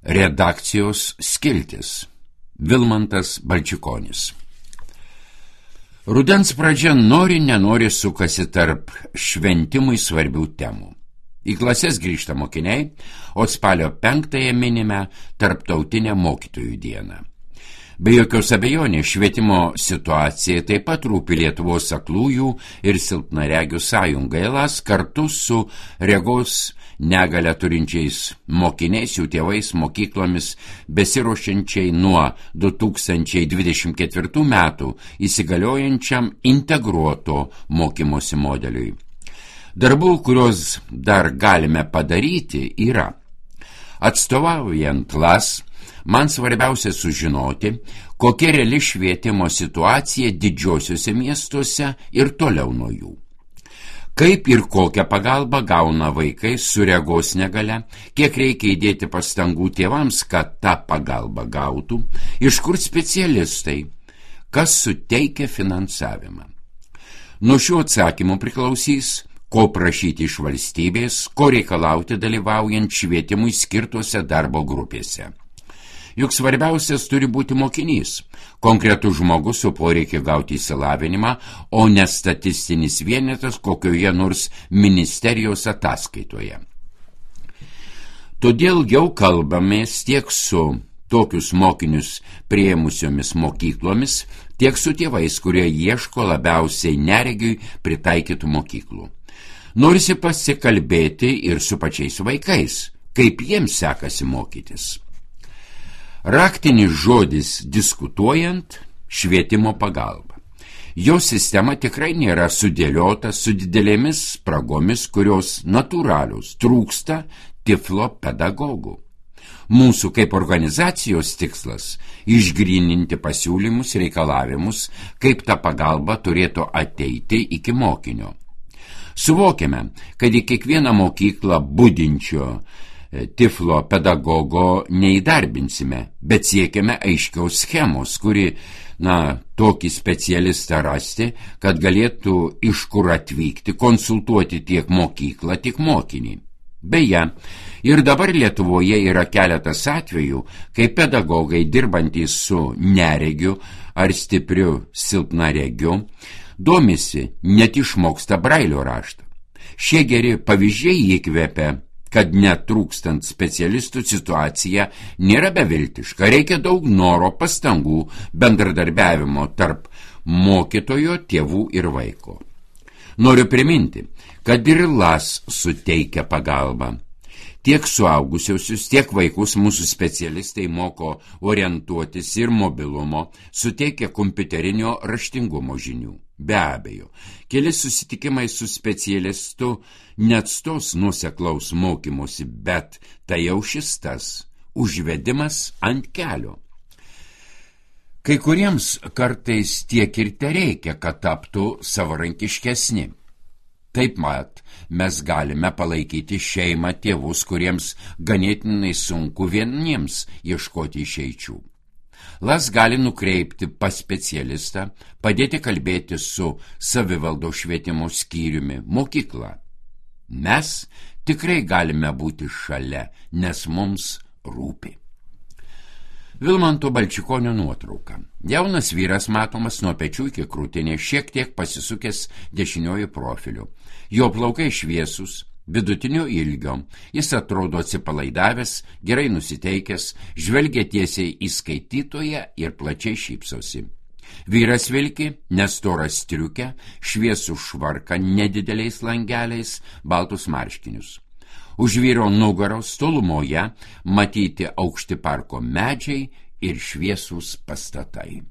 Redakcijos skiltis. Vilmantas Balčikonis. Rudens pradžia nenori sukasi tarp šventimui svarbių temų. Į klases grįžta mokiniai, o spalio 5 minime Tarptautinę mokytojų dieną. Be jokios abejonės švietimo situacija taip pat rūpi Lietuvos aklųjų ir silpnaregių sąjungai LAS kartu su regos negalią turinčiais mokiniais, jų tėvais, mokyklomis, besiruošiančiai nuo 2024 metų įsigaliojančiam integruoto mokymosi modeliui. Darbų, kuriuos dar galime padaryti, yra: atstovaujant LAS, man svarbiausia sužinoti, kokia reali švietimo situacija didžiosiuose miestuose ir toliau nuo jų. Kaip ir kokią pagalbą gauna vaikai su regos negalia, kiek reikia įdėti pastangų tėvams, kad tą pagalbą gautų, iš kur specialistai, kas suteikia finansavimą. Nuo šių atsakymų priklausys, ko prašyti iš valstybės, ko reikalauti dalyvaujant švietimui skirtose darbo grupėse. Juk svarbiausias turi būti mokinys, konkretus žmogus su poreikiu gauti išsilavinimą, o ne statistinis vienetas kokioje nors ministerijos ataskaitoje. Todėl jau kalbamės tiek su tokius mokinius priėmusiomis mokyklomis, tiek su tėvais, kurie ieško labiausiai neregiui pritaikytų mokyklų. Norisi pasikalbėti ir su pačiais vaikais, kaip jiems sekasi mokytis. Raktinis žodis diskutuojant – švietimo pagalba. Jo sistema tikrai nėra sudėliota su didelėmis spragomis, kurios natūralios, trūksta tiflo pedagogų. Mūsų kaip organizacijos tikslas – išgryninti pasiūlymus, reikalavimus, kaip ta pagalba turėtų ateiti iki mokinio. Suvokiame, kad į kiekvieną mokyklą budinčio tiflo pedagogo neįdarbinsime, bet siekiame aiškiaus schemos, kuri, tokį specialistą rasti, kad galėtų iš kur atvykti, konsultuoti tiek mokyklą, tiek mokinį. Beje, ir dabar Lietuvoje yra keletas atvejų, kai pedagogai dirbantys su neregiu ar stipriu silpnaregiu domisi, net išmoksta brailio raštą. Šie geri pavyzdžiai įkvepia, kad netrūkstant specialistų situacija nėra beviltiška, reikia daug noro, pastangų, bendradarbiavimo tarp mokytojo, tėvų ir vaiko. Noriu priminti, kad ir LAS suteikia pagalbą. Tiek suaugusiausius, tiek vaikus mūsų specialistai moko orientuotis ir mobilumo, suteikia kompiuterinio raštingumo žinių. Be abejo, keli susitikimai su specialistu neatstos nuoseklaus mokymosi, bet tai jau šis tas užvedimas ant kelio. Kai kuriems kartais tiek ir tereikia, kad taptų savarankiškesni. Taip mat, mes galime palaikyti šeimą, tėvus, kuriems ganėtinai sunku vieniems ieškoti išeičių. LAS gali nukreipti pas specialistą, padėti kalbėti su savivaldos švietimo skyriumi, mokykla. Mes tikrai galime būti šalia, nes mums rūpi. Vilmanto Balčikonio nuotrauka. Jaunas vyras matomas nuo pečių iki krūtinės, šiek tiek pasisukęs dešiniuoju profiliu. Jo plaukai šviesūs, vidutinio ilgio, jis atrodo atsipalaidavęs, gerai nusiteikęs, žvelgia tiesiai į skaitytoją ir plačiai šypsosi. Vyras vilki nestorą striukę, šviesų švarką nedideliais langeliais, baltus marškinius. Už vyro nugaros tolumoje matyti aukšti parko medžiai ir šviesūs pastatai.